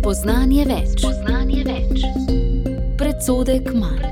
Spoznanje več. Predsodek manj.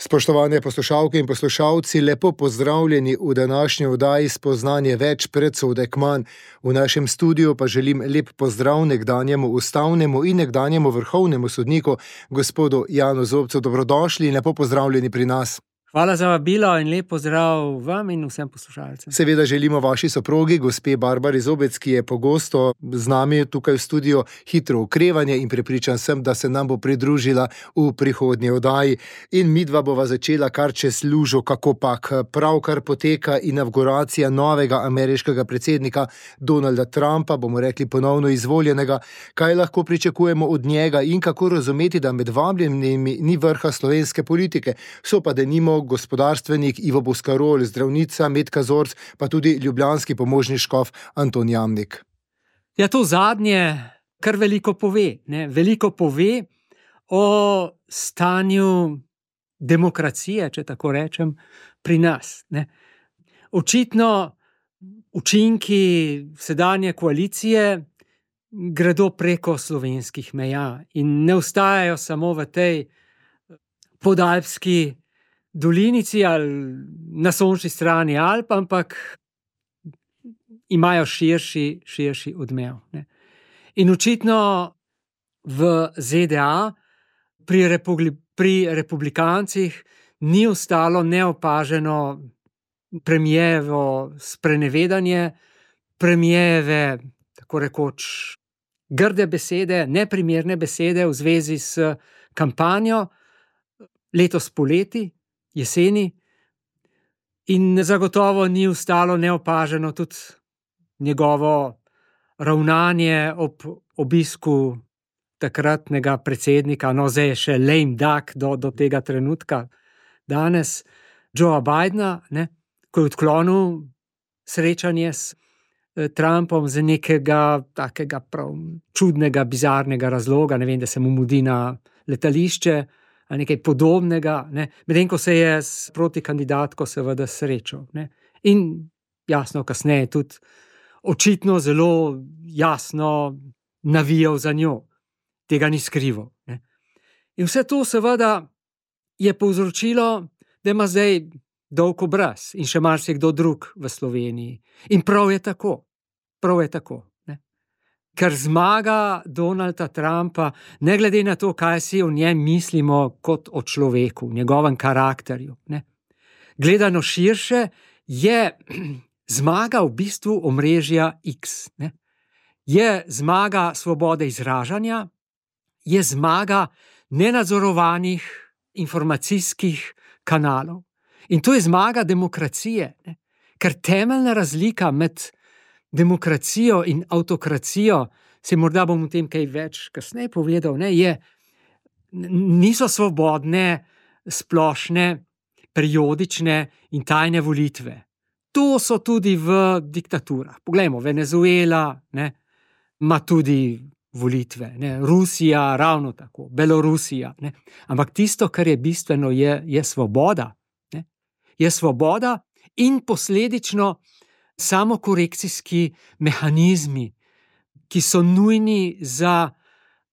Spoštovane poslušalke in poslušalci, lepo pozdravljeni v današnji oddaji Spoznanje več, predsodek manj. V našem studiu pa želim lep pozdrav nekdanjemu ustavnemu in nekdanjemu vrhovnemu sodniku, gospodu Janu Zobcu. Dobrodošli in lepo pozdravljeni pri nas. Hvala za vabilo in lep pozdrav vam in vsem poslušalcem. Seveda želimo vaši soprogi, gospe Barbari Zobec, ki je pogosto z nami tukaj v studiu, hitro okrevanje in prepričan sem, da se nam bo pridružila v prihodnji oddaji. In midva bova začela kar čez lužo, kako pak. Pravkar poteka inavguracija novega ameriškega predsednika Donalda Trumpa, bomo rekli ponovno izvoljenega. Kaj lahko pričakujemo od njega in kako razumeti, da med vabljenimi ni vrha slovenske politike, so pa denimo gospodarstvenik Ivo Boscarol, zdravnica Metka Zorc, pa tudi ljubljanski pomožni škof Anton Jamnik. Ja, to zadnje kar veliko pove. Veliko pove o stanju demokracije, če tako rečem, pri nas. Očitno učinki sedanje koalicije gredo preko slovenskih meja in ne ostajajo samo v tej podalpski dolinici ali na sončni strani Alp, ampak imajo širši odmev. In očitno v ZDA pri republikancih ni ostalo neopaženo premijevo sprenevedanje, premijeve, tako rekoč, grde besede, neprimerne besede v zvezi s kampanjo letos poleti, jeseni, in zagotovo ni ostalo neopaženo tudi njegovo ravnanje ob obisku takratnega predsednika, zdaj je še lame duck do tega trenutka, danes, Joea Bidena, ko je odklonil srečanje s Trumpom z nekega takega prav čudnega, bizarnega razloga, ne vem, da se mu mudi na letališče, ali nekaj podobnega, medtem ko se je s protikandidatko seveda srečal. In jasno, kasneje tudi očitno zelo jasno navijal za njo. Tega ni skrival. In vse to seveda je povzročilo, da ima zdaj dolg obraz in še marsikdo drug v Sloveniji. In prav je tako. Ker zmaga Donalda Trumpa, ne glede na to, kaj si o njem mislimo kot o človeku, njegovem karakterju. Gledano širše, je zmaga v bistvu omrežja X. Je zmaga svobode izražanja, je zmaga nenadzorovanih informacijskih kanalov. In to je zmaga demokracije, ker temeljna razlika med demokracijo in avtokracijo, se morda bom o tem kaj več kasneje povedal, niso svobodne, splošne, periodične in tajne volitve. To so tudi v diktaturah. Poglejmo, Venezuela ima tudi volitve, Rusija ravno tako, Belorusija. Ampak tisto, kar je bistveno, je svoboda. Je svoboda in posledično samokorekcijski mehanizmi, ki so nujni za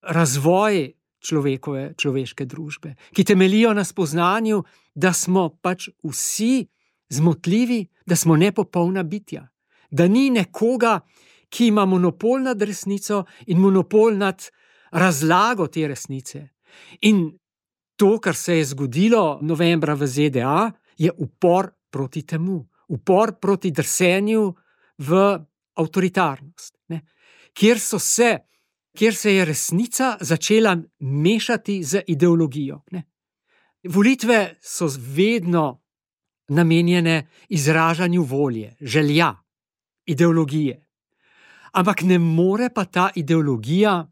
razvoj človeške družbe, ki temeljijo na spoznanju, da smo pač vsi zmotljivi, da smo nepopolna bitja, da ni nekoga, ki ima monopol nad resnico in monopol nad razlago te resnice. In to, kar se je zgodilo novembra v ZDA, je upor proti temu. Upor proti drsenju v avtoritarnost, kjer se je resnica začela mešati z ideologijo. Volitve so vedno namenjene izražanju volje, želja, ideologije. Ampak ne more pa ta ideologija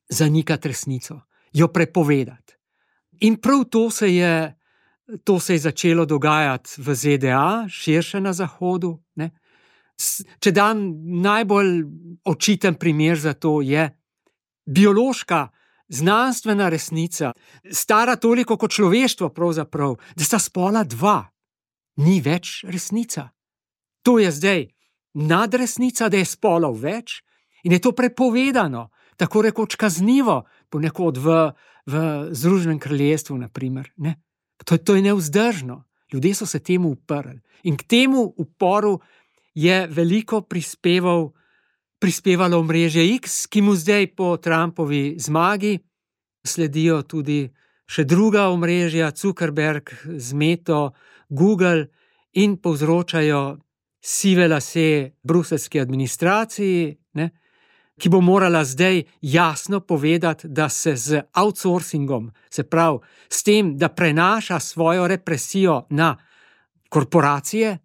zanikati resnico, jo prepovedati. In prav to se je začelo dogajati v ZDA, širše na Zahodu. Če dam najbolj očiten primer za to, je biološka, znanstvena resnica, stara toliko kot človeštvo pravzaprav, da sta spola dva. Ni več resnica. To je zdaj nadresnica, da je spolov več, In je to prepovedano, tako rekoč kaznivo, ponekod v Združenem kraljestvu, naprimer, ne. To je nevzdržno. Ljudje so se temu uprli. In k temu uporu je veliko prispevalo omrežje X, ki mu zdaj po Trumpovi zmagi sledijo tudi še druga omrežja, Zuckerberg z Meto, Google, in povzročajo sive lase bruseljski administraciji, ne, ki bo morala zdaj jasno povedati, da se z outsourcingom, se pravi s tem, da prenaša svojo represijo na korporacije,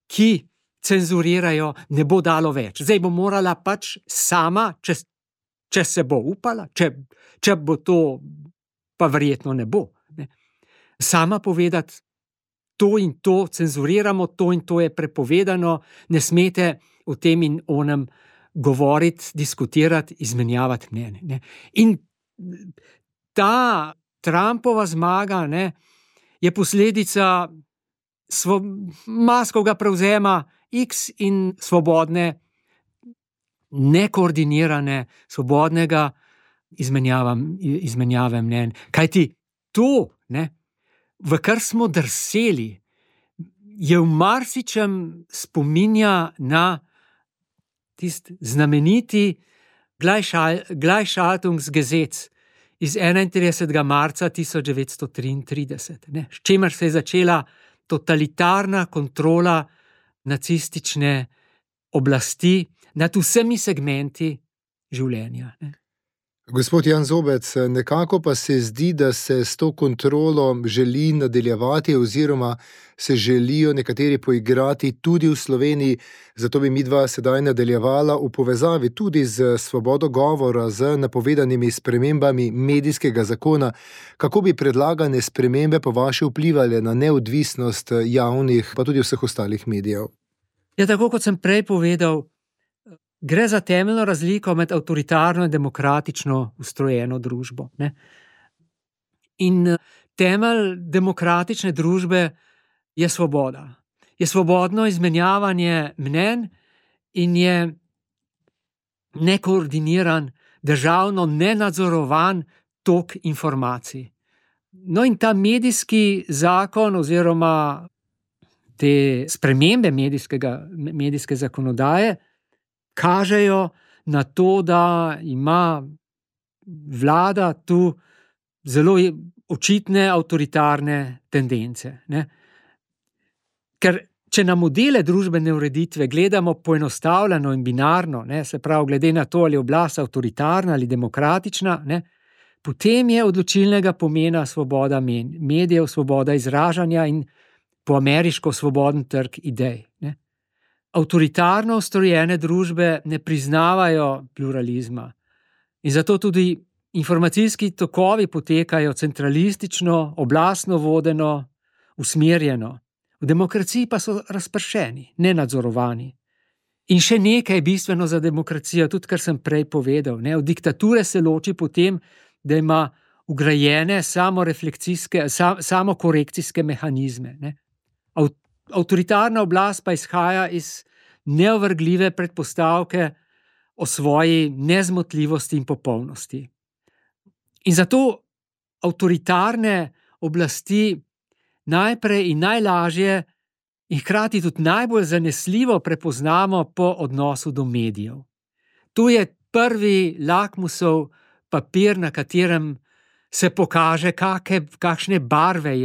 ki cenzurirajo, ne bo dalo več. Zdaj bo morala pač sama, če se bo upala, če bo to, pa verjetno ne bo, ne, sama povedati, to in to cenzuriramo, to in to je prepovedano, ne smete o tem in onem govoriti, diskutirati, izmenjavati mnenje, ne. In ta Trumpova zmaga, ne, je posledica maskovega prevzema X in svobodne, nekoordinirane, svobodnega izmenjave mnenj. Kajti to, ne, v kar smo drseli, je v marsičem spominja na tisti znameniti Gleichschaltungsgesetz iz 31. marca 1933, ne, s čimer se je začela totalitarna kontrola nacistične oblasti nad vsemi segmenti življenja, ne. Gospod Jan Zobec, nekako pa se zdi, da se s to kontrolo želi nadaljevati oziroma se želijo nekateri poigrati tudi v Sloveniji, zato bi midva sedaj nadaljevala v povezavi tudi z svobodo govora, z napovedanimi spremembami medijskega zakona. Kako bi predlagane spremembe po vaše vplivali na neodvisnost javnih, pa tudi vseh ostalih medijev? Ja, tako kot sem prej povedal, gre za temeljno razliko med avtoritarno in demokratično ustrojeno družbo, ne. In temelj demokratične družbe je svoboda. Je svobodno izmenjavanje mnenj in je nekoordiniran, državno nenadzorovan tok informacij. No, in ta medijski zakon oziroma te spremembe medijske zakonodaje kažejo na to, da ima vlada tu zelo očitne avtoritarne tendence, ne. Ker če na modele družbene ureditve gledamo poenostavljeno in binarno, ne, se pravi glede na to, ali je oblast avtoritarna ali demokratična, ne, potem je odločilnega pomena svoboda medijev, svoboda izražanja in po ameriško svoboden trg idej, ne. Avtoritarno ustrojene družbe ne priznavajo pluralizma in zato tudi informacijski tokovi potekajo centralistično, oblastno vodeno, usmerjeno. V demokraciji pa so razpršeni, nenadzorovani. In še nekaj bistveno za demokracijo, tudi kar sem prej povedal, ne, od diktature se loči potem, da ima vgrajene samokorekcijske mehanizme, ne. Avtoritarna oblast pa izhaja iz neovrgljive predpostavke o svoji nezmotljivosti in popolnosti. In zato avtoritarne oblasti najprej in najlažje in hkrati tudi najbolj zanesljivo prepoznamo po odnosu do medijev. Tu je prvi lakmusov papir, na katerem se pokaže, kakšne barve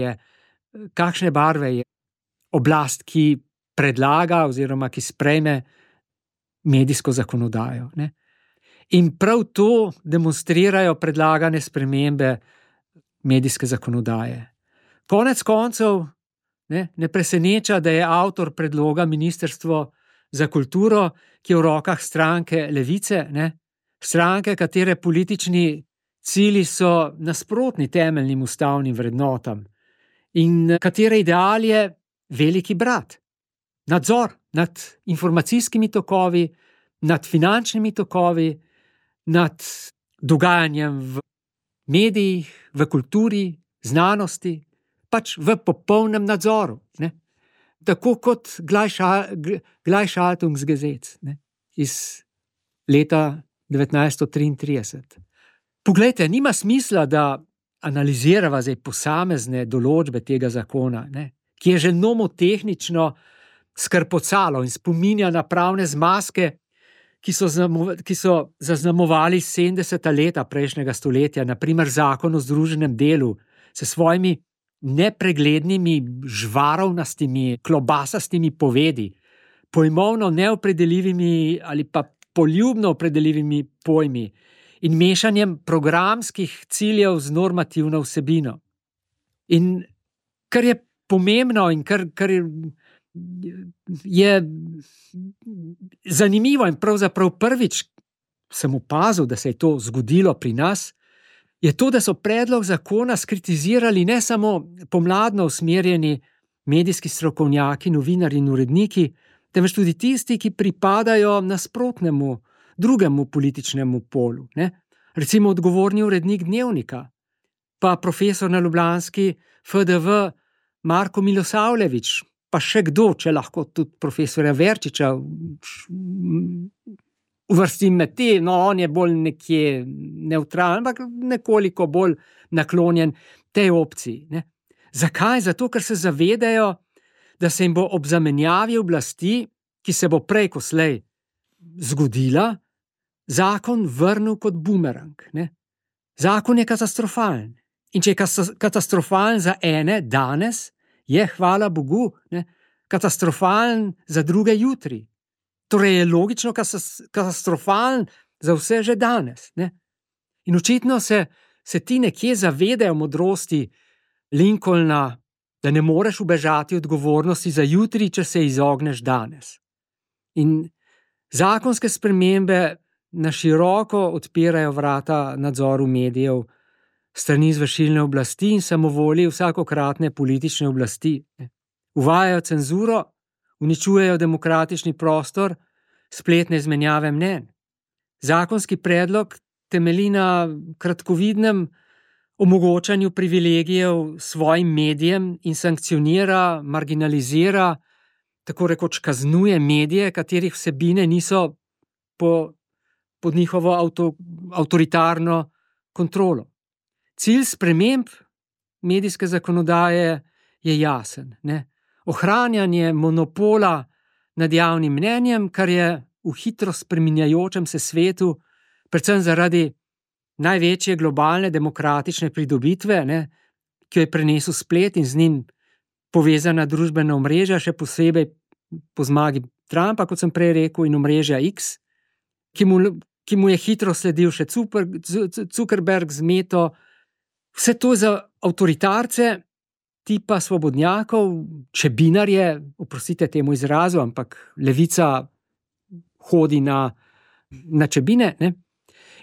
je oblast, ki predlaga oziroma ki sprejme medijsko zakonodajo, ne. In prav to demonstrirajo predlagane spremembe medijske zakonodaje. Konec koncev, ne preseneča, da je avtor predloga Ministrstvo za kulturo, ki je v rokah stranke Levice, ne, stranke, katere politični cilji so nasprotni temeljnim ustavnim vrednotam in katere ideal je veliki brat, nadzor nad informacijskimi tokovi, nad finančnimi tokovi, nad dogajanjem v medijih, v kulturi, znanosti, pač v popolnem nadzoru, ne. Tako kot Gleichschaltungsgesetz, ne, iz leta 1933. Poglejte, nima smisla, da analizirava zdaj posamezne določbe tega zakona, ki je že nomotehnično skrpocalo in spominja na pravne zmazke, ki so zaznamovali 70. leta prejšnjega stoletja, naprimer zakon o združenem delu, s svojimi nepreglednimi, žvarovnastimi, klobasastimi povedi, pojmovno neopredeljivimi ali pa poljubno opredeljivimi pojmi in mešanjem programskih ciljev z normativno vsebino. In kar je pomembno in kar je zanimivo in pravzaprav prvič sem opazil, da se je to zgodilo pri nas, je to, da so predlog zakona skritizirali ne samo pomladno usmerjeni medijski strokovnjaki, novinarji in uredniki, temveč tudi tisti, ki pripadajo nasprotnemu, drugemu političnemu polu. Recimo odgovorni urednik Dnevnika, pa profesor na ljubljanski FDV Marko Milosavljević, pa še kdo, če lahko tudi profesorja Verčiča uvrstim med te, on je bolj nekje nevtralen, ampak nekoliko bolj naklonjen tej opciji. Zakaj? Zato, ker se zavedajo, da se jim bo ob zamenjavi oblasti, ki se bo prej ko slej zgodila, zakon vrnil kot bumerang. Zakon je katastrofalen. In če je katastrofalen za ene danes, je, hvala Bogu, katastrofalen za druge jutri. Torej je logično katastrofalen za vse že danes. In očitno se ti nekje zavedajo modrosti Lincolna, da ne moreš ubežati odgovornosti za jutri, če se izogneš danes. In zakonske spremembe na široko odpirajo vrata nadzoru medijev, strani izvršilne oblasti in samovolji vsakokratne politične oblasti. Uvajajo cenzuro, uničujejo demokratični prostor, spletne izmenjave mnenj. Zakonski predlog temelji na kratkovidnem omogočanju privilegijev svojim medijem in sankcionira, marginalizira, tako rekoč kaznuje medije, katerih vsebine niso pod njihovo avtoritarno kontrolo. Cilj sprememb medijske zakonodaje je jasen. Ohranjanje monopola nad javnim mnenjem, kar je v hitro spreminjajočem se svetu, predvsem zaradi največje globalne demokratične pridobitve, ki jo je prinesel splet in z njim povezana družbena omrežja, še posebej po zmagi Trumpa, kot sem prej rekel, in omrežja X, ki mu je hitro sledil še Zuckerberg z Meto. Vse to za avtoritarce, tipa svobodnjakov, čebinarje, oprostite temu izrazu, ampak levica hodi na čebine,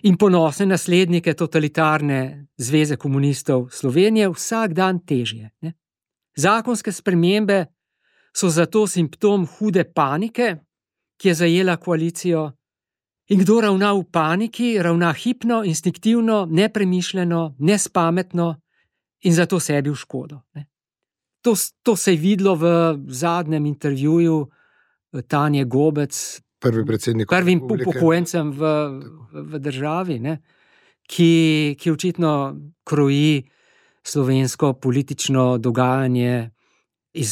in ponosne naslednike totalitarne zveze komunistov Slovenije vsak dan težje. Zakonske spremembe so zato simptom hude panike, ki je zajela koalicijo, in kdo ravna v paniki, ravna hipno, instinktivno, nepremišljeno, nespametno in zato sebi v škodo. To se je videlo v zadnjem intervjuju Tanje Gobec, prvim upokojencem v državi, ki očitno kroji slovensko politično dogajanje iz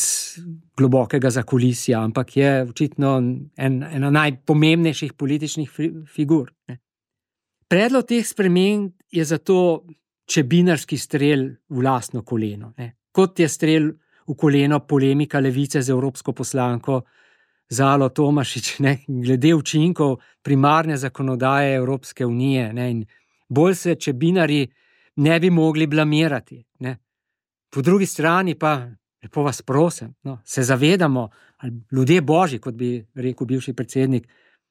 globokega zakulisja, ampak je očitno ena najpomembnejših političnih figur. Predlog teh sprememb je zato čebinarski strel v lastno koleno. Kot je strel v koleno polemika levice z evropsko poslanko Zalo Tomašič, glede učinkov primarne zakonodaje Evropske unije. In bolj se čebinarji ne bi mogli blamirati. Po drugi strani pa, lepo vas prosim, se zavedamo, ljudje božji, kot bi rekel bivši predsednik,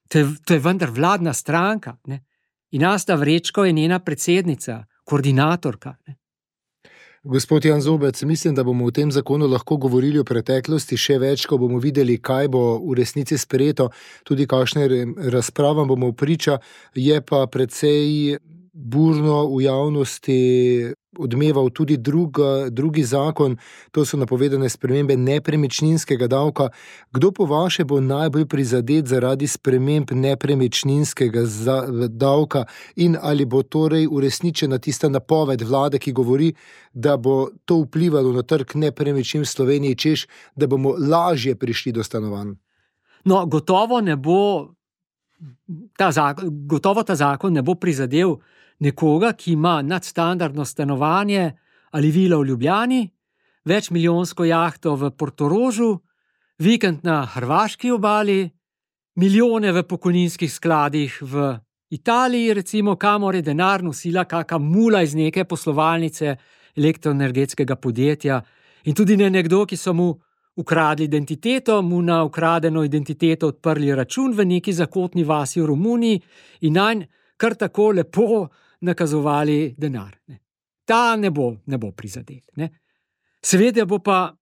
to je vendar vladna stranka. In Asta Vrečko je njena predsednica, koordinatorka. Gospod Jan Zobec, mislim, da bomo v tem zakonu lahko govorili o preteklosti še več, ko bomo videli, kaj bo v resnici sprejeto, tudi kakšne razpravam bomo priča, je pa precej burno v javnosti odmeval tudi drugi zakon, to so napovedane spremembe nepremičninskega davka. Kdo po vaše bo najbolj prizadet zaradi sprememb nepremičninskega davka in ali bo torej uresničena tista napoved vlade, ki govori, da bo to vplivalo na trg nepremičnin v Sloveniji, češ, da bomo lažje prišli do stanovanj? No, gotovo ta zakon ne bo prizadel nekoga, ki ima nadstandardno stanovanje ali vilo v Ljubljani, večmilijonsko jahto v Portorožu, vikend na hrvaški obali, milijone v pokojninskih skladih v Italiji, recimo, kamor je denar nosila kaka mula iz neke poslovalnice elektroenergetskega podjetja, in tudi ne nekdo, ki so mu ukradli identiteto, mu na ukradeno identiteto odprli račun v neki zakotni vasi v Romuniji in nanj kar tako lepo nakazovali denar. Ta ne bo prizadet. Seveda bo pa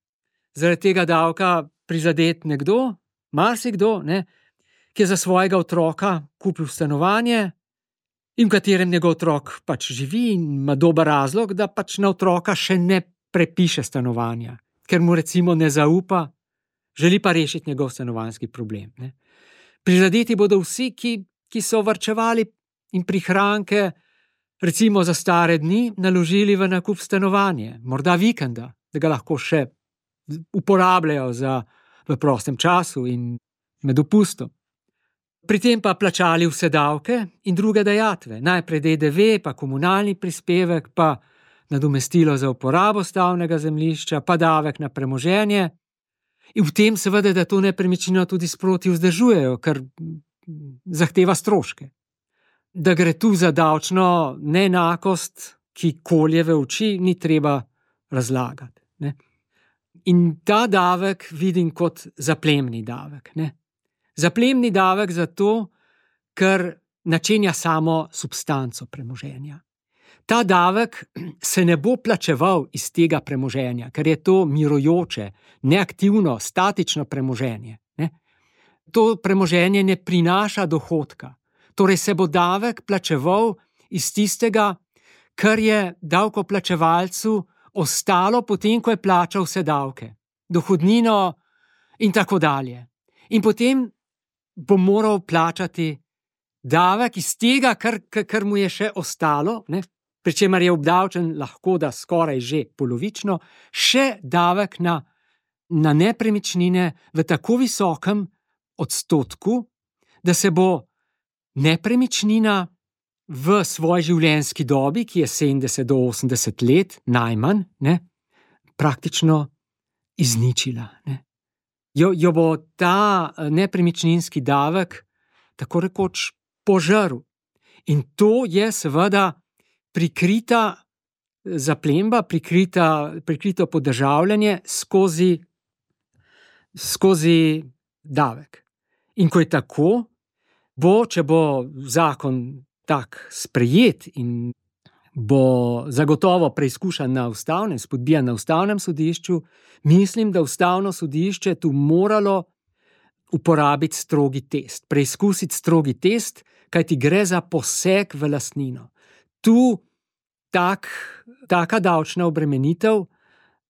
zaradi tega davka prizadet nekdo, marsikdo, ki je za svojega otroka kupil stanovanje in v katerem njegov otrok pač živi in ima dober razlog, da pač na otroka še ne prepiše stanovanja, ker mu recimo ne zaupa, želi pa rešiti njegov stanovanjski problem. Prizadeti bodo vsi, ki so varčevali in prihranke recimo za stare dni naložili v nakup stanovanja, morda vikenda, da ga lahko še uporabljajo v prostem času in med dopustom. Pri tem pa plačali vse davke in druge dajatve, najprej DDV, pa komunalni prispevek, pa nadomestilo za uporabo stavbnega zemljišča, pa davek na premoženje. In v tem seveda, da to nepremičnino tudi sproti vzdržujejo, ker zahteva stroške. Da gre tu za davčno neenakost, ki kolje v oči, ni treba razlagati. In ta davek vidim kot zaplemni davek. Zaplemni davek zato, ker načenja samo substanco premoženja. Ta davek se ne bo plačeval iz tega premoženja, ker je to mirujoče, neaktivno, statično premoženje. To premoženje ne prinaša dohodka. Torej se bo davek plačeval iz tistega, kar je davkoplačevalcu ostalo potem, ko je plačal vse davke, dohodnino in tako dalje. In potem bo moral plačati davek iz tega, kar mu je še ostalo, pri čemer je obdavčen lahko da skoraj že polovično, še davek na nepremičnine v tako visokem odstotku, da se bo nepremičnina v svoji življenjski dobi, ki je 70 do 80 let, najmanj, praktično izničila. Jo bo ta nepremičninski davek tako rekoč požrl. In to je seveda prikrita zaplemba, prikrito podržavljanje skozi davek. In ko je tako, če bo zakon tak sprejet in bo zagotovo preizkušan na ustavnem, spodbijan na ustavnem sodišču, mislim, da ustavno sodišče tu moralo uporabiti strogi test, preizkusiti strogi test, kajti gre za poseg v lastnino. Tu taka davčna obremenitev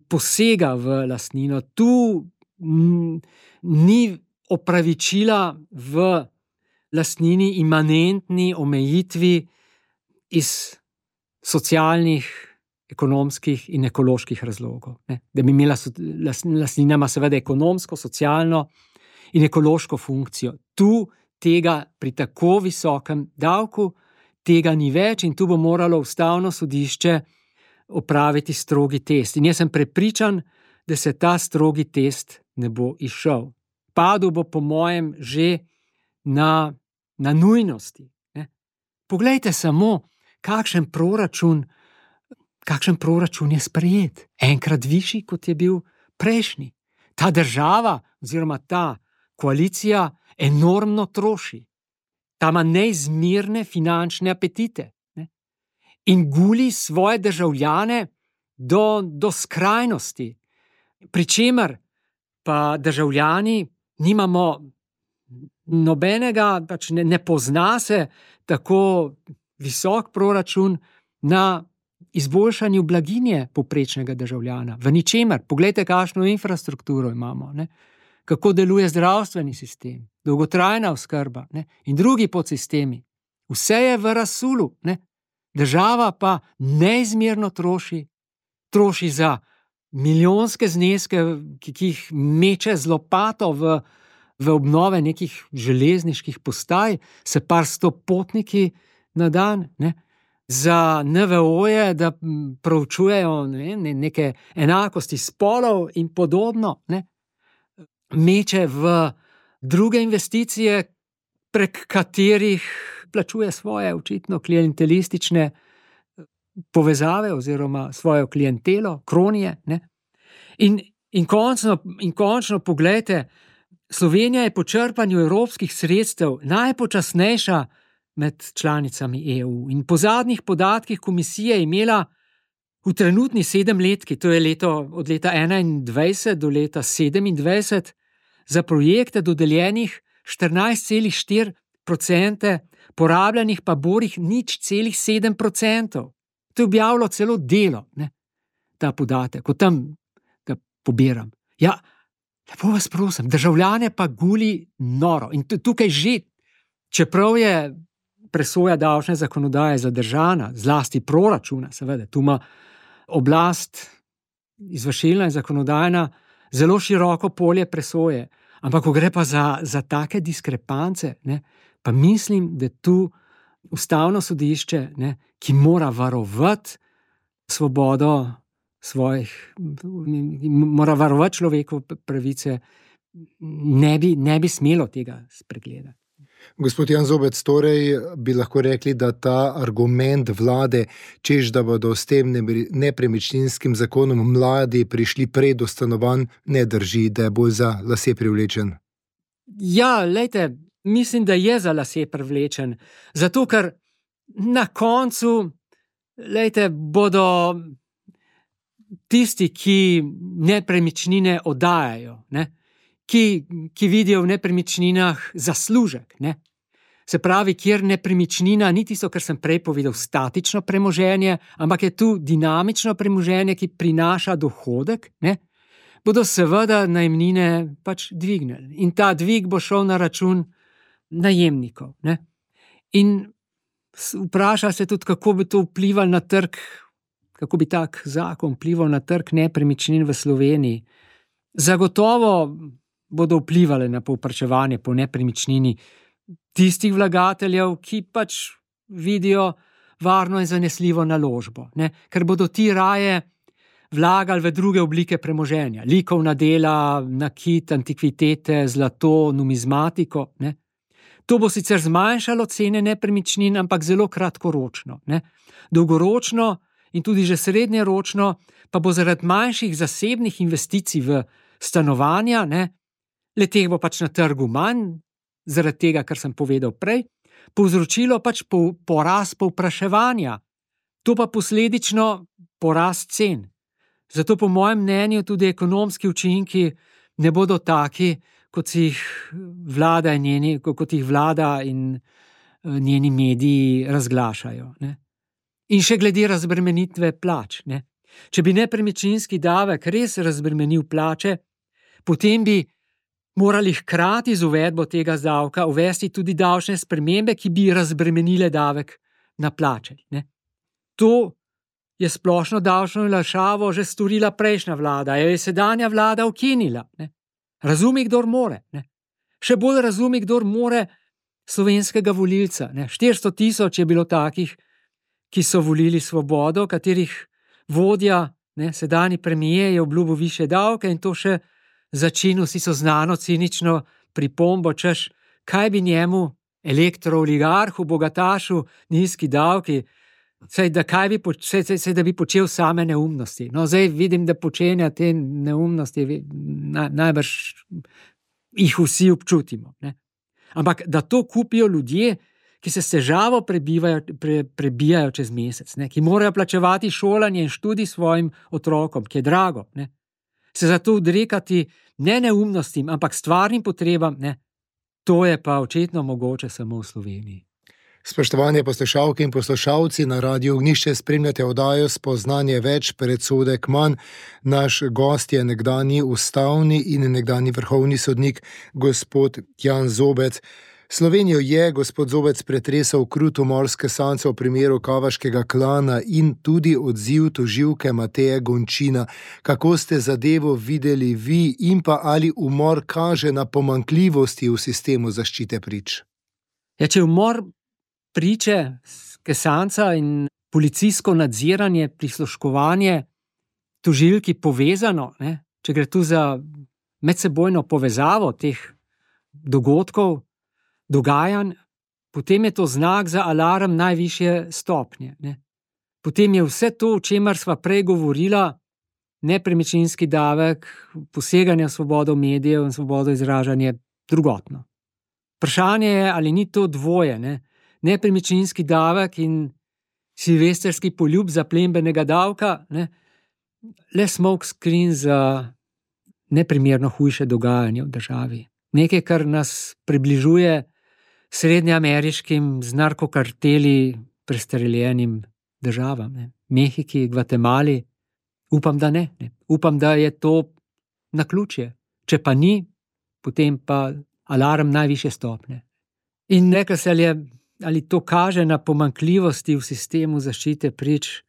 posega v lastnino, tu ni opravičila v lastnini imanentni omejitvi iz socialnih, ekonomskih in ekoloških razlogov. Da bi imela lastnina ima seveda ekonomsko, socialno in ekološko funkcijo. Tu tega pri tako visokem davku tega ni več in tu bo moralo ustavno sodišče opraviti strogi test. In jaz sem prepričan, da se ta strogi test ne bo izšel. Padel bo po mojem že na nujnosti. Poglejte samo, kakšen proračun je sprejet. Enkrat višji, kot je bil prejšnji. Ta država oziroma ta koalicija enormno troši. Ta ima neizmerne finančne apetite. In guli svoje državljane do skrajnosti. Pričemer pa državljani nimamo nobenega, pač ne pozna se tako visok proračun na izboljšanju blaginje povprečnega državljana, v ničemer. Poglejte, kakšno infrastrukturo imamo, ne? Kako deluje zdravstveni sistem, dolgotrajna oskrba, ne? In drugi podsistemi. Vse je v razsulu, ne? Država pa neizmerno troši za milijonske zneske, ki jih meče z lopato v obnove nekih železniških postaj, se par 100 potniki na dan, ne? Za NVO-je, da proučujejo neke enakosti spolov in podobno, ne? Meče v druge investicije, prek katerih plačuje svoje očitno klientelistične povezave oziroma svojo klientelo, kronije, ne? In končno poglejte, Slovenija je po črpanju evropskih sredstev najpočasnejša med članicami EU. In po zadnjih podatkih komisije je imela v trenutni 7-letki, to je od leta 2021 do leta 2027, za projekte dodeljenih 14,4%, porabljenih pa borih 0,7%. To je objavilo celo Delo, ne? Ta podatek, ko tam ga pobiram. Ja, lepo vas prosim, državljane pa guli noro. In tukaj že, čeprav je presoja davčne zakonodaje zadržana, zlasti proračuna, seveda, tu ima oblast, izvršilna in zakonodajna, zelo široko polje presoje. Ampak ko gre pa za take diskrepance, ne, pa mislim, da tu Ustavno sodišče, ne, ki mora varovati svobodo mora varovati človekove pravice, ne bi smelo tega spregledati. Gospod Jan Zobec, torej bi lahko rekli, da ta argument vlade, češ da bodo s tem nepremičninskim zakonom mladi prišli prej do stanovanj, ne drži, da je bolj za lase privlečen. Ja, lejte, mislim, da je za lase privlečen. Zato, ker na koncu, lejte, bodo tisti, ki nepremičnine oddajajo, ne? Ki vidijo v nepremičninah zaslužek, ne? Se pravi, kjer nepremičnina ni tisto, kar sem prej povedal, statično premoženje, ampak je tu dinamično premoženje, ki prinaša dohodek, ne? Bodo seveda najemnine pač dvignili. In ta dvig bo šel na račun najemnikov, ne? In vpraša se tudi, kako bi to vplivalo na trg, kako bi tak zakon vplival na trg nepremičnin v Sloveniji. Zagotovo bodo vplivali na povpraševanje po nepremičnini tistih vlagateljev, ki pač vidijo varno in zanesljivo naložbo, ne? Ker bodo ti raje vlagali v druge oblike premoženja, likovna dela, nakit, antikvitete, zlato, numizmatiko, ne? To bo sicer zmanjšalo cene nepremičnin, ampak zelo kratkoročno, ne? Dolgoročno in tudi že srednjeročno pa bo zaradi manjših zasebnih investicij v stanovanja, ne, le-teh bo pač na trgu manj, zaradi tega, kar sem povedal prej, povzročilo pač porast povpraševanja, to pa posledično porast cen. Zato po mojem mnenju tudi ekonomski učinki ne bodo taki, kot jih vlada in njeni mediji razglašajo, ne. In še glede razbremenitve plač, ne. Če bi nepremičninski davek res razbremenil plače, potem bi morali hkrati z uvedbo tega davka uvesti tudi davčne spremembe, ki bi razbremenile davek na plače, ne. To je splošno davčno olajšavo že storila prejšnja vlada, jo je sedanja vlada ukinila, ne. Razumi, kdor more, ne. Še bolj razumi, kdor more slovenskega volilca, ne. 400 000 je bilo takih, ki so volili Svobodo, katerih vodja, ne, sedanji premier je obljubil višje davke in to še začinil si so znano cinično pripombo, češ, kaj bi njemu, elektrooligarhu, bogatašu, nizki davki, da bi počel same neumnosti. No, zdaj vidim, da počenja te neumnosti, najbrž jih vsi občutimo, ne. Ampak da to kupijo ljudje, ki se s težavo prebijajo čez mesec, ne, ki morajo plačevati šolanje in študij svojim otrokom, ki je drago, ne, se zato odrekati ne neumnostim, ampak stvarnim potrebam, ne, to je pa očitno mogoče samo v Sloveniji. Spoštovane poslušalke in poslušalci, na Radiu Ognjišče spremljate oddajo Spoznanje več, predsodek manj. Naš gost je nekdanji ustavni in nekdanji vrhovni sodnik gospod Jan Zobec. Slovenijo je gospod Zobec pretresal krut umor Skesancev v primeru Kavaškega klana in tudi odziv tožilke Mateje Gončina. Kako ste zadevo videli vi in pa ali umor kaže na pomanjkljivosti v sistemu zaščite prič? Ja, če umor priče, Skesanca in policijsko nadziranje, prisluškovanje tožilki povezano, če gre tu za medsebojno povezavo teh dogodkov, dogajanj, potem je to znak za alarm najvišje stopnje. Potem je vse to, o čemer sva prej govorila, nepremičninski davek, poseganje v svobodo medijev in svobodo izražanja, drugotno. Vprašanje je, ali ni to dvoje, nepremičninski davek in silvestrski poljub zaplembenega davka, le smoke screen za neprimerno hujše dogajanje v državi. Nekaj, kar nas približuje srednjeameriškim z narkokarteli prestreljenim državam. Mehiki, Gvatemali, upam, da ne. Upam, da je to naključje. Če pa ni, potem pa alarm najvišje stopnje. In rekel se ali to kaže na pomanjkljivosti v sistemu zaščite prič.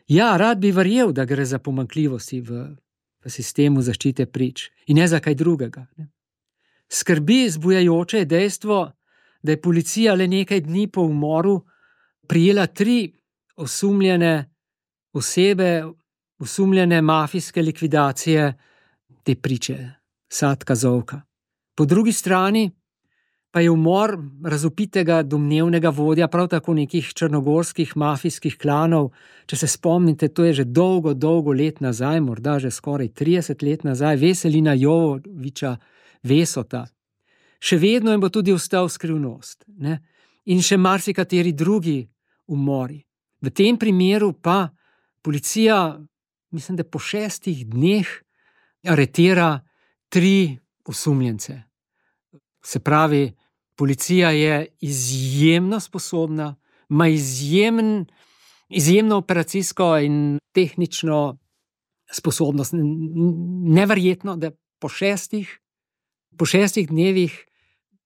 Ja, rad bi verjel, da gre za pomanjkljivosti v sistemu zaščite prič in ne za kaj drugega. Skrbi zbujajoče je dejstvo, da je policija le nekaj dni po umoru prijela 3 osumljene osebe, osumljene mafijske likvidacije te priče, Satka Zovka. Po drugi strani pa je umor razvpitega domnevnega vodja prav tako nekih črnogorskih mafijskih klanov. Če se spomnite, to je že dolgo let nazaj, morda že skoraj 30 let nazaj, Veselina Jovoviča Vesota. Še vedno jim bo tudi ostal skrivnost. In še marsikateri drugi umori. V tem primeru pa policija, mislim, da po 6 dneh aretira 3 osumljence. Se pravi, policija je izjemno sposobna, ima izjemno operacijsko in tehnično sposobnost. Neverjetno, da po 6 dnevih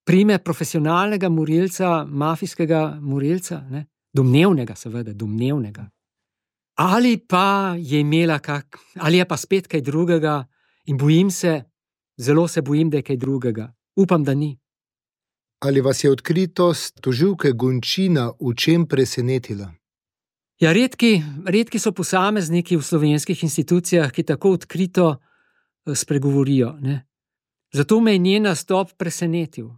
prime profesionalnega morilca, mafijskega morilca, domnevnega seveda, domnevnega. Ali pa je imela ali je pa spet kaj drugega in zelo se bojim, da je kaj drugega. Upam, da ni. Ali vas je odkritost tožilke Gončina v čem presenetila? Ja, redki so posamezniki v slovenskih institucijah, ki tako odkrito spregovorijo. Zato me je njen nastop presenetil.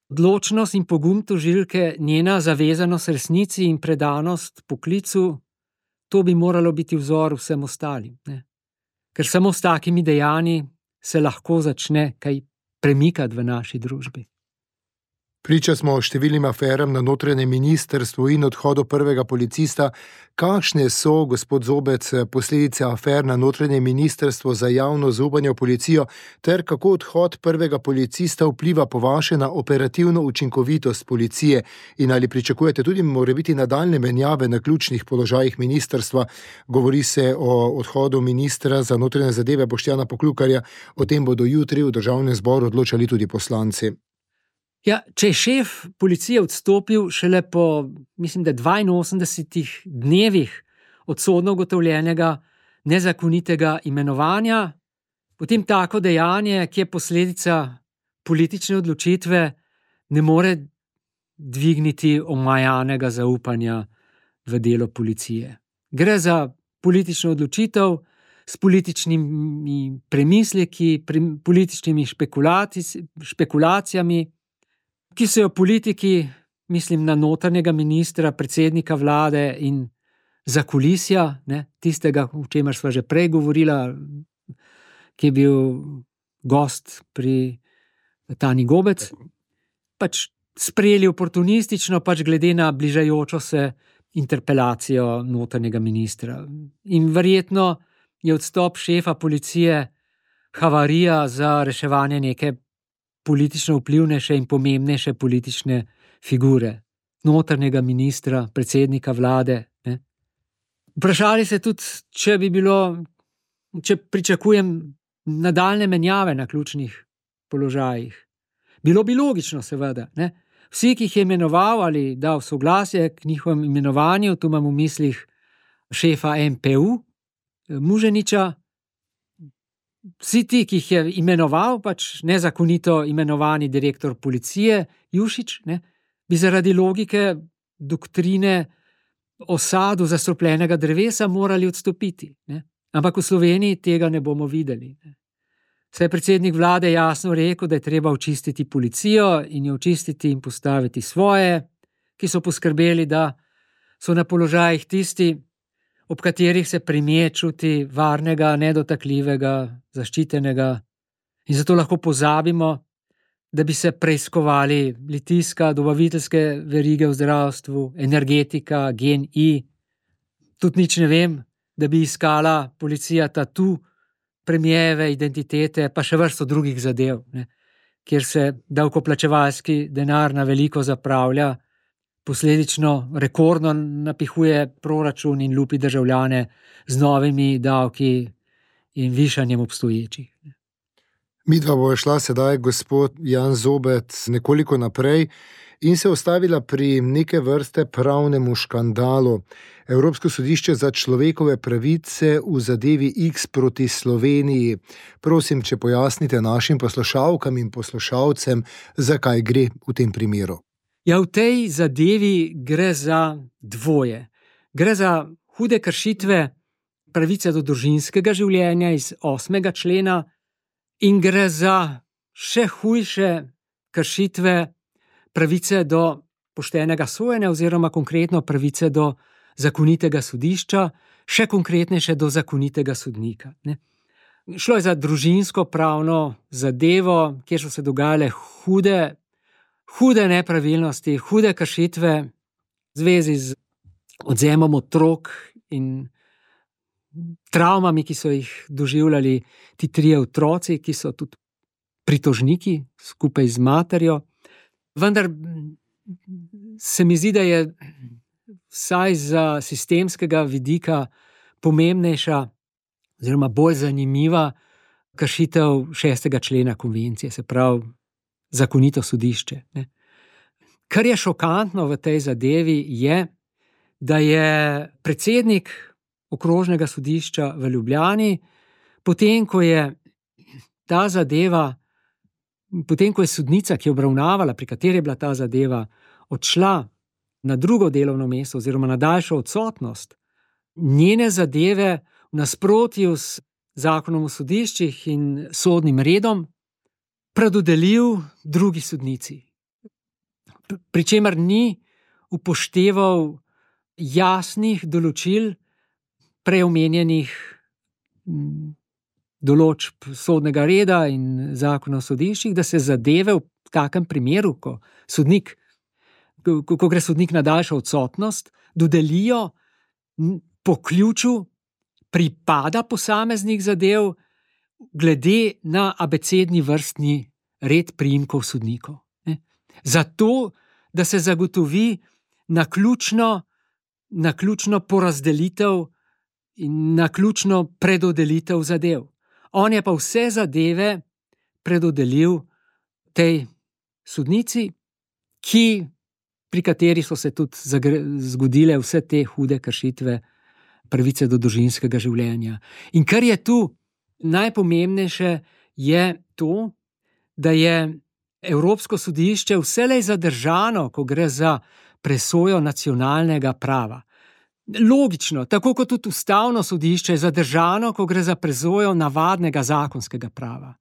Odločnost in pogum tožilke, njena zavezanost resnici in predanost poklicu, to bi moralo biti vzor vsem ostalim. Ker samo s takimi dejanji se lahko začne kaj premikati v naši družbi. Priča smo številnim aferam na notranjem ministrstvu in odhodu prvega policista. Kakšne so, gospod Zobec, posledice afer na notranjem ministrstvu za javno zaupanje v policijo ter kako odhod prvega policista vpliva po vaše na operativno učinkovitost policije in ali pričakujete tudi morebiti nadaljnje menjave na ključnih položajih ministrstva? Govori se o odhodu ministra za notranje zadeve Boštjana Poklukarja. O tem bodo jutri v Državnem zboru odločali tudi poslanci. Ja, če je šef policije odstopil šele po, mislim, da 82 dnevih od sodno ugotovljenega nezakonitega imenovanja, potem tako dejanje, ki je posledica politične odločitve, ne more dvigniti omajanega zaupanja v delo policije. Gre za politično odločitev s političnimi premisleki, političnimi špekulacijami, ki so jo politiki, mislim na notranjega ministra, predsednika vlade in zakulisja, tistega, o čemer sva že prej govorila, ki je bil gost pri Tanji Gobec, sprejeli oportunistično, glede na bližajočo se interpelacijo notranjega ministra. In verjetno je odstop šefa policije havarija za reševanje neke politično vplivnejše in pomembnejše politične figure. notranjega ministra, predsednika vlade. Ne. Vprašali se tudi, če pričakujem nadaljne menjave na ključnih položajih. Bilo bi logično, seveda. Ne. Vsi, ki jih je imenoval ali dal soglasje k njihovem imenovanju, tu imam v mislih šefa MPU, Muženiča, vsi ti, ki jih je imenoval, pač nezakonito imenovani direktor policije, Jušić, ne, bi zaradi logike doktrine o sadu zastrupljenega drevesa morali odstopiti. Ne. Ampak v Sloveniji tega ne bomo videli. Ne. Saj je predsednik vlade jasno rekel, da je treba očistiti policijo in jo očistiti in postaviti svoje, ki so poskrbeli, da so na položajih tisti, ob katerih se premier čuti varnega, nedotakljivega, zaščitenega, in zato lahko pozabimo, da bi se preiskovali Litijska, dobaviteljske verige v zdravstvu, energetika, GEN-I. Tudi nič ne vem, da bi iskala policija tatu premijeve identitete, pa še vrsto drugih zadev, ne, kjer se davkoplačevalski denar na veliko zapravlja, posledično rekordno napihuje proračun in lupi državljane z novimi davki in višanjem obstoječih. Midva bo šla sedaj, gospod Jan Zobec, nekoliko naprej in se ustavila pri neke vrste pravnemu škandalu. Evropsko sodišče za človekove pravice v zadevi X proti Sloveniji. Prosim, če pojasnite našim poslušalkam in poslušalcem, zakaj gre v tem primeru. Ja, v tej zadevi gre za dvoje. Gre za hude kršitve pravice do družinskega življenja iz 8. člena in gre za še hujše kršitve pravice do poštenega sojenja oziroma konkretno pravice do zakonitega sodišča, še konkretnejše do zakonitega sodnika. Ne. Šlo je za družinsko pravno zadevo, kjer so se dogajale hude nepravilnosti, hude kršitve v zvezi z odvzemom otrok in travmami, ki so jih doživljali ti trije otroci, ki so tudi pritožniki skupaj z materjo. Vendar se mi zdi, da je vsaj za sistemskega vidika pomembnejša oziroma bolj zanimiva kršitev 6. člena konvencije, se pravi zakonito sodišče. Ne. Kar je šokantno v tej zadevi je, da je predsednik okrožnega sodišča v Ljubljani, potem ko je ta zadeva, potem ko je sodnica, ki je obravnavala, pri kateri je bila ta zadeva, odšla na drugo delovno mesto oziroma na daljšo odsotnost, njene zadeve v nasprotju s zakonom o sodiščih in sodnim redom predodelil drugi sodnici. Pričemer ni upošteval jasnih določil prej omenjenih določb sodnega reda in zakona o sodiščih, da se zadeve v takem primeru, ko gre sodnik na daljšo odsotnost, dodelijo po ključu pripada posameznih zadev glede na abecedni vrstni red priimkov sodnikov. Zato, da se zagotovi naključno porazdelitev in naključno predodelitev zadev. On je pa vse zadeve predodelil tej sodnici, pri kateri so se tudi zgodile vse te hude kršitve pravice do družinskega življenja. In kar je tu najpomembnejše, je to, da je Evropsko sodišče vselej zadržano, ko gre za presojo nacionalnega prava. Logično, tako kot tudi ustavno sodišče je zadržano, ko gre za presojo navadnega zakonskega prava.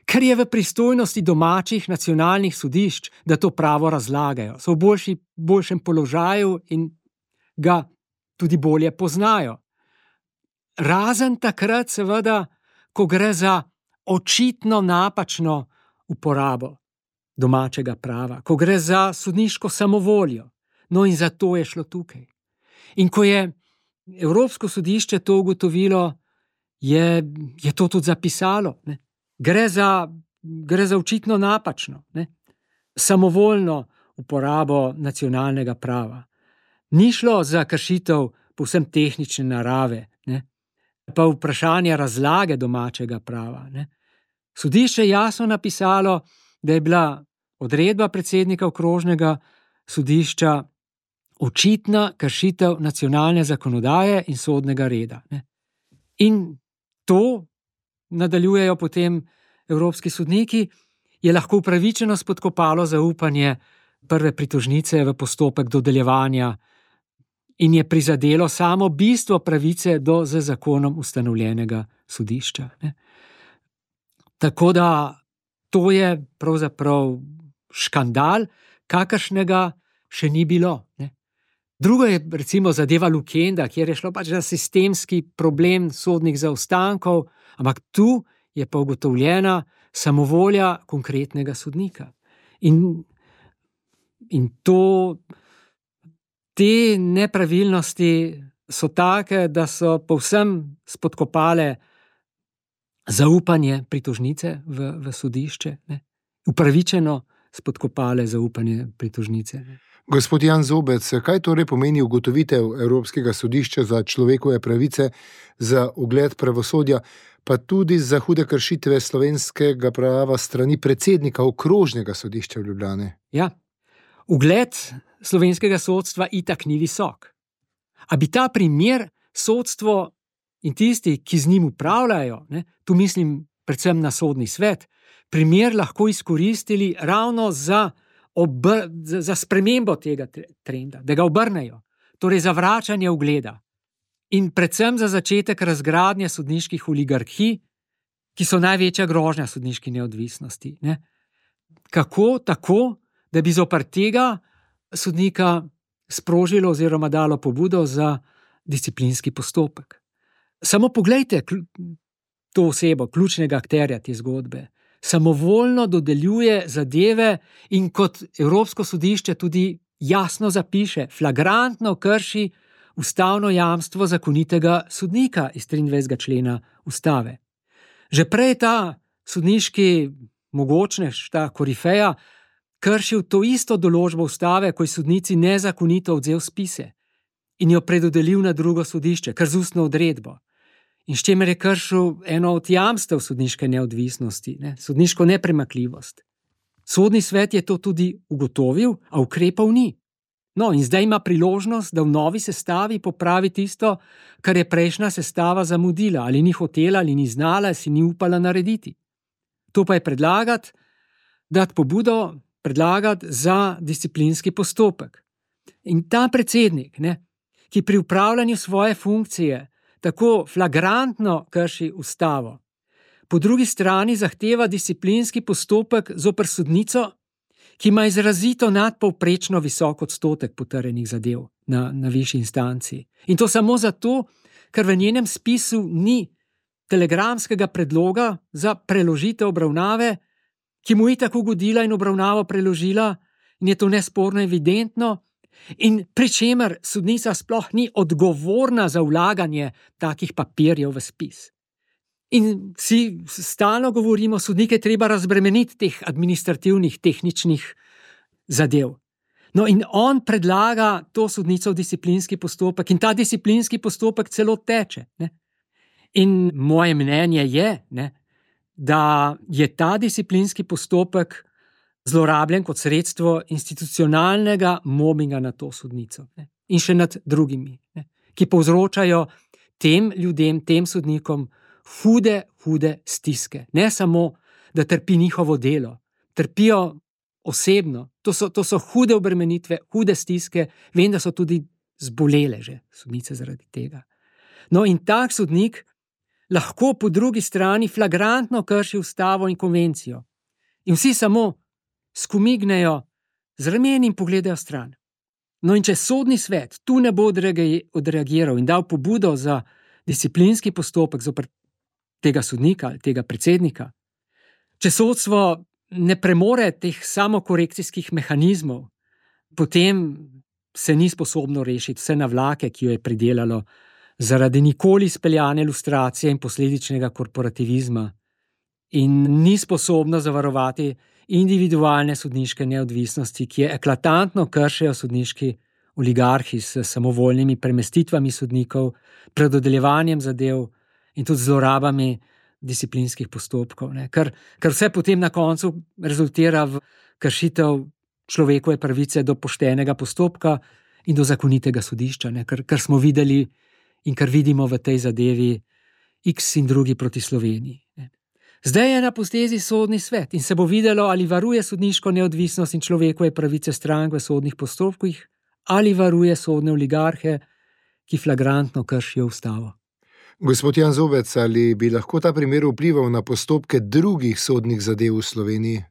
Ker je v pristojnosti domačih nacionalnih sodišč, da to pravo razlagajo, so v boljšem položaju in ga tudi bolje poznajo. Razen takrat, seveda, ko gre za očitno napačno uporabo domačega prava, ko gre za sodniško samovoljo. No, in zato je šlo tukaj. In ko je Evropsko sodišče to ugotovilo, je to tudi zapisalo. Ne. Gre za očitno napačno, ne, samovoljno uporabo nacionalnega prava. Ni šlo za kršitev povsem tehnične narave, ne? Pa vprašanje razlage domačega prava. Ne? Sodišče je jasno napisalo, da je bila odredba predsednika okrožnega sodišča očitna kršitev nacionalne zakonodaje in sodnega reda. Ne? In to, nadaljujejo potem evropski sodniki, je lahko upravičeno spodkopalo zaupanje prve pritožnice v postopek dodeljevanja in je prizadelo samo bistvo pravice do z zakonom ustanovljenega sodišča. Ne? Tako da to je pravzaprav škandal, kakršnega še ni bilo. Ne? Drugo je recimo zadeva Lukenda, kjer je šlo pač za sistemski problem sodnih zaostankov, ampak tu je pa ugotovljena samovolja konkretnega sodnika. In te nepravilnosti so take, da so povsem spodkopale zaupanje pritožnice v sodišče, ne? Upravičeno spodkopale zaupanje pritožnice. Ne? Gospod Jan Zobec, kaj torej pomeni ugotovitev Evropskega sodišča za človekove pravice za ugled pravosodja, pa tudi za hude kršitve slovenskega prava strani predsednika okrožnega sodišča v Ljubljani? Ja, ugled slovenskega sodstva itak ni visok. A bi ta primer sodstvo in tisti, ki z njim upravljajo, ne, tu mislim predvsem na sodni svet, primer lahko izkoristili ravno za spremembo tega trenda, da ga obrnejo, torej za vračanje ugleda in predvsem za začetek razgradnje sodniških oligarhij, ki so največja grožnja sodniški neodvisnosti. Ne? Kako? Tako, da bi zoper tega sodnika sprožilo oziroma dalo pobudo za disciplinski postopek. Samo poglejte to osebo, ključnega akterja te zgodbe. Samovoljno dodeljuje zadeve in kot Evropsko sodišče tudi jasno zapiše, flagrantno krši ustavno jamstvo zakonitega sodnika iz 23. člena ustave. Že prej ta sodniški mogočnež, ta korifeja, kršil to isto določbo ustave, ko je sodnici nezakonito odvzel spise in jo predodelil na drugo sodišče, kar z ustno odredbo. In s čimer je kršil eno od jamstev sodniške neodvisnosti, ne? Sodniško nepremakljivost. Sodni svet je to tudi ugotovil, a ukrepal ni. No, in zdaj ima priložnost, da v novi sestavi popravi tisto, kar je prejšnja sestava zamudila, ali ni hotela, ali ni znala, ali si ni upala narediti. To pa je dati pobudo za disciplinski postopek. In ta predsednik, ne, ki pri upravljanju svoje funkcije tako flagrantno krši ustavo, po drugi strani zahteva disciplinski postopek zoper sodnico, ki ima izrazito nadpovprečno visok odstotek potrjenih zadev na višji instanci. In to samo zato, ker v njenem spisu ni telegramskega predloga za preložitev obravnave, ki mu je tako ugodila in obravnavo preložila, in je to nesporno evidentno, in pri čemer sodnica sploh ni odgovorna za vlaganje takih papirjev v spis. In si stalno govorimo, sodnike treba razbremeniti teh administrativnih, tehničnih zadev. No, in on predlaga to sodnico v disciplinski postopek in ta disciplinski postopek celo teče. Ne? In moje mnenje je, ne, da je ta disciplinski postopek zlorabljen kot sredstvo institucionalnega mobinga na to sodnico, ne? In še nad drugimi, ne? Ki povzročajo tem ljudem, tem sodnikom hude stiske. Ne samo, da trpi njihovo delo, trpijo osebno. To so hude obremenitve, hude stiske, vem, da so tudi zbolele že sodnice zaradi tega. No, in tak sodnik lahko po drugi strani flagrantno krši ustavo in konvencijo. In vsi samo skomignejo z rameni in pogledajo stran. No, in če sodni svet tu ne bo odreagiral in dal pobudo za disciplinski postopek zoper tega sodnika ali tega predsednika, če sodstvo ne premore teh samokorekcijskih mehanizmov, potem se ni sposobno rešiti vse navlake, ki jo je pridelalo zaradi nikoli izpeljane lustracije in posledičnega korporativizma in ni sposobno zavarovati individualne sodniške neodvisnosti, ki je eklatantno kršijo sodniški oligarhi s samovoljnimi premestitvami sodnikov, predodeljevanjem zadev in tudi zlorabami disciplinskih postopkov, ne. Ker vse potem na koncu rezultira v kršitev človekove pravice do poštenega postopka in do zakonitega sodišča, ne. Kar smo videli in kar vidimo v tej zadevi X in drugi proti Sloveniji, ne. Zdaj je na potezi sodni svet in se bo videlo, ali varuje sodniško neodvisnost in človekove pravice strank v sodnih postopkih, ali varuje sodne oligarhe, ki flagrantno kršijo ustavo. Gospod Jan Zobec, ali bi lahko ta primer vplival na postopke drugih sodnih zadev v Sloveniji?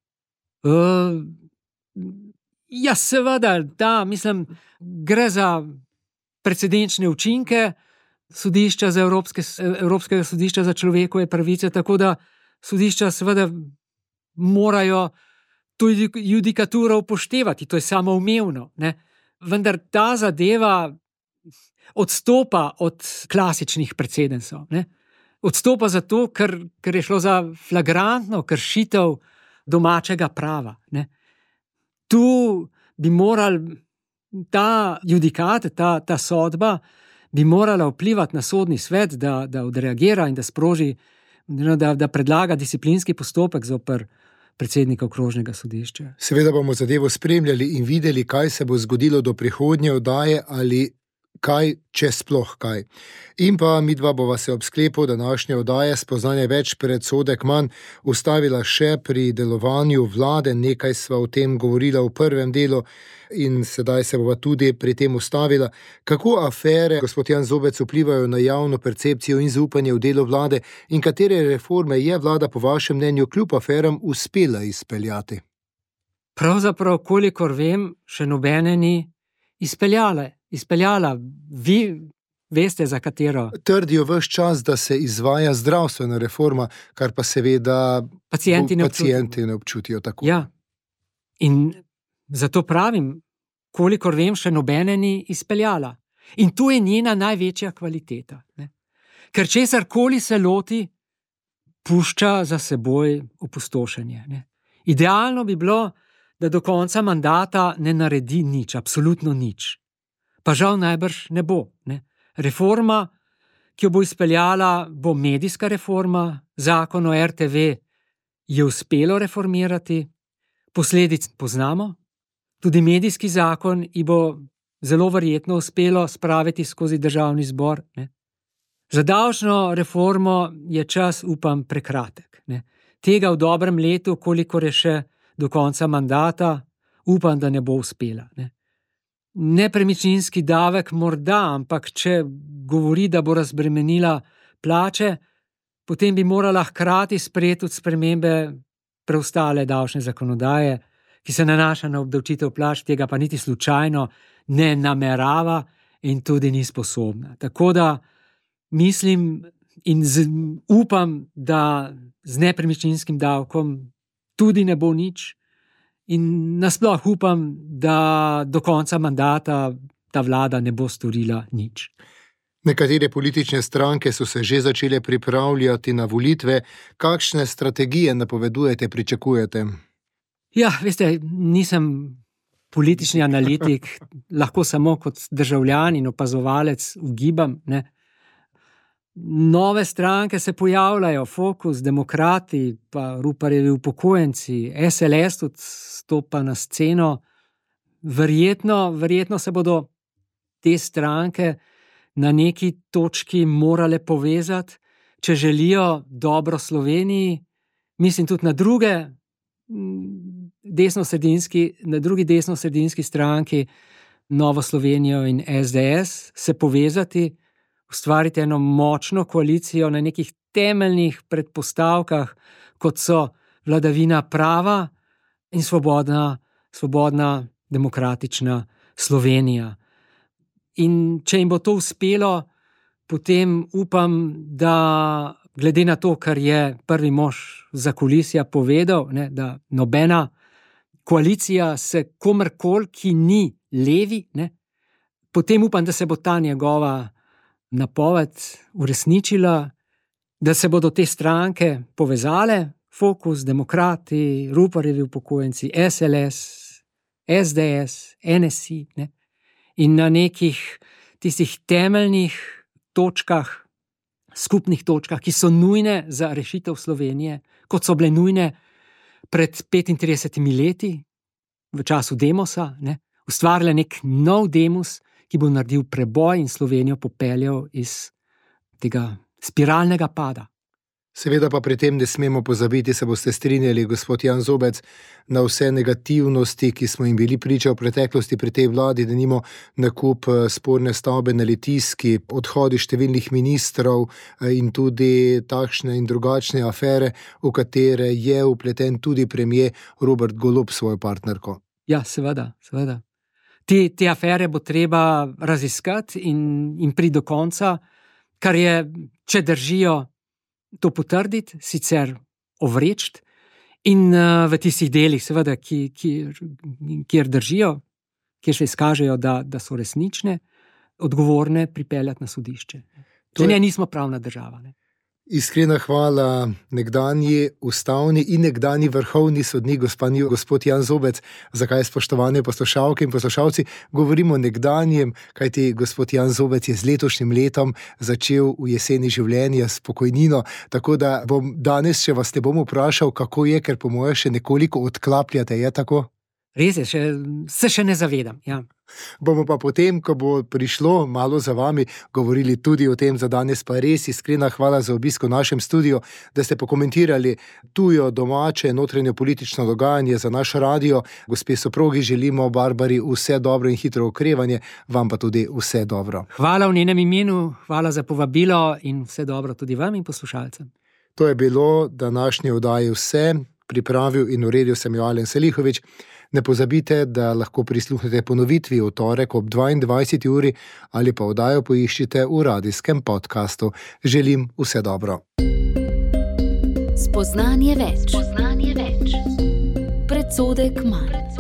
Ja, seveda, da, mislim, gre za precedenčne učinke sodišča za Evropskega sodišča za človekove pravice, tako da sodišča seveda morajo to judikaturo upoštevati, to je samoumevno, ne. Vendar ta zadeva odstopa od klasičnih precedensov, ne. Odstopa zato, ker je šlo za flagrantno kršitev domačega prava, ne. Tu bi morali ta judikat, ta sodba bi morala vplivati na sodni svet, da odreagira in da sproži, da predlaga disciplinski postopek zoper predsednika okrožnega sodišča. Seveda bomo zadevo spremljali in videli, kaj se bo zgodilo do prihodnje oddaje ali kaj, če sploh kaj. In pa midva bova se ob sklepu današnje oddaje Spoznanje več, predsodek manj ustavila še pri delovanju vlade. Nekaj sva o tem govorila v prvem delu in sedaj se bova tudi pri tem ustavila. Kako afere, gospod Jan Zobec, vplivajo na javno percepcijo in zaupanje v delo vlade in katere reforme je vlada po vašem mnenju kljub aferam uspela izpeljati? Pravzaprav, kolikor vem, še nobene ni izpeljala. Vi veste, za katero? Trdijo ves čas, da se izvaja zdravstvena reforma, kar pa seveda pacienti ne občutijo tako. Ja, in zato pravim, kolikor vem, še nobene ni izpeljala. In to je njena največja kvaliteta, ne? Ker česarkoli se loti, pušča za seboj opustošenje, ne? Idealno bi bilo, da do konca mandata ne naredi nič, absolutno nič. Pa žal najbrž ne bo, ne. Reforma, ki jo bo izpeljala, bo medijska reforma, zakon o RTV je uspelo reformirati, posledic poznamo, tudi medijski zakon ji bo zelo verjetno uspelo spraviti skozi državni zbor, ne. Za davčno reformo je čas, upam, prekratek, ne. Tega v dobrem letu, kolikor je še do konca mandata, upam, da ne bo uspela, ne. Nepremičninski davek morda, ampak če govori, da bo razbremenila plače, potem bi morala hkrati sprejeti tudi spremembe preostale davčne zakonodaje, ki se nanaša na obdavčitev plač, tega pa niti slučajno ne namerava in tudi ni sposobna. Tako da mislim in upam, da z nepremičninskim davkom tudi ne bo nič. In nasploh upam, da do konca mandata ta vlada ne bo storila nič. Nekatere politične stranke so se že začele pripravljati na volitve. Kakšne strategije napovedujete, pričakujete? Ja, veste, nisem politični analitik, lahko samo kot državljan in opazovalec ugibam, ne. Nove stranke se pojavljajo, Fokus, Demokrati, pa Ruparjevi upokojenci, SLS tudi stopa na sceno. Verjetno se bodo te stranke na neki točki morale povezati, če želijo dobro Sloveniji. Mislim tudi na drugi desnosredinski stranki, Novo Slovenijo in SDS, se povezati, ustvariti eno močno koalicijo na nekih temeljnih predpostavkah, kot so vladavina prava in svobodna demokratična Slovenija. In če jim bo to uspelo, potem upam, da glede na to, kar je prvi mož zakulisja povedal, ne, da nobena koalicija se komerkoli, ki ni levi, ne, potem upam, da se bo ta njegova napoved uresničila, da se bodo te stranke povezale, Fokus, Demokrati, Ruparjevi upokojenci, SLS, SDS, NSI, ne? In na nekih tistih temeljnih točkah, skupnih točkah, ki so nujne za rešitev Slovenije, kot so bile nujne pred 35 leti, v času Demosa, ne? Ustvarila nek nov Demos, ki bo naredil preboj in Slovenijo popeljal iz tega spiralnega pada. Seveda pa pri tem ne smemo pozabiti, se boste strinjali, gospod Jan Zobec, na vse negativnosti, ki smo jim bili priča v preteklosti pri tej vladi, denimo nakup sporne stavbe na Litijski, odhodi številnih ministrov in tudi takšne in drugačne afere, v katere je vpleten tudi premier Robert Golob s svojo partnerko. Ja, seveda. Te afere bo treba raziskati in priti do konca, kar je, če držijo, to potrditi, sicer ovreči in v tistih delih, seveda, kjer držijo, kjer se izkažejo, da so resnične, odgovorne pripeljati na sodišče. Če nismo pravna država. Ne? Iskrena hvala nekdanji ustavni in nekdanji vrhovni sodnik gospod Jan Zobec. Zakaj, spoštovane poslušalke in poslušalci, govorimo o nekdanjem, kajti gospod Jan Zobec je z letošnjim letom začel v jeseni življenja s pokojnino, tako da bom danes, če vas ne bom vprašal, kako je, ker po moje še nekoliko odklapljate, je tako? Res je, se še ne zavedam, ja. Bomo pa potem, ko bo prišlo malo za vami, govorili tudi o tem. Za danes pa res iskrena hvala za obisk v našem studiu, da ste pokomentirali tujo, domače, notranje politično dogajanje za naš radio. Gospe soprogi želimo Barbari vse dobro in hitro okrevanje, vam pa tudi vse dobro. Hvala v njenem imenu, hvala za povabilo in vse dobro tudi vam in poslušalcem. To je bilo današnje oddaje vse. Pripravil in uredil sem jo Alen Selihovič. Ne pozabite, da lahko prisluhnete ponovitvi v torek ob 22. uri ali pa oddajo poiščite v radijskem podkastu. Želim vse dobro. Spoznanje več. Predsodek manj.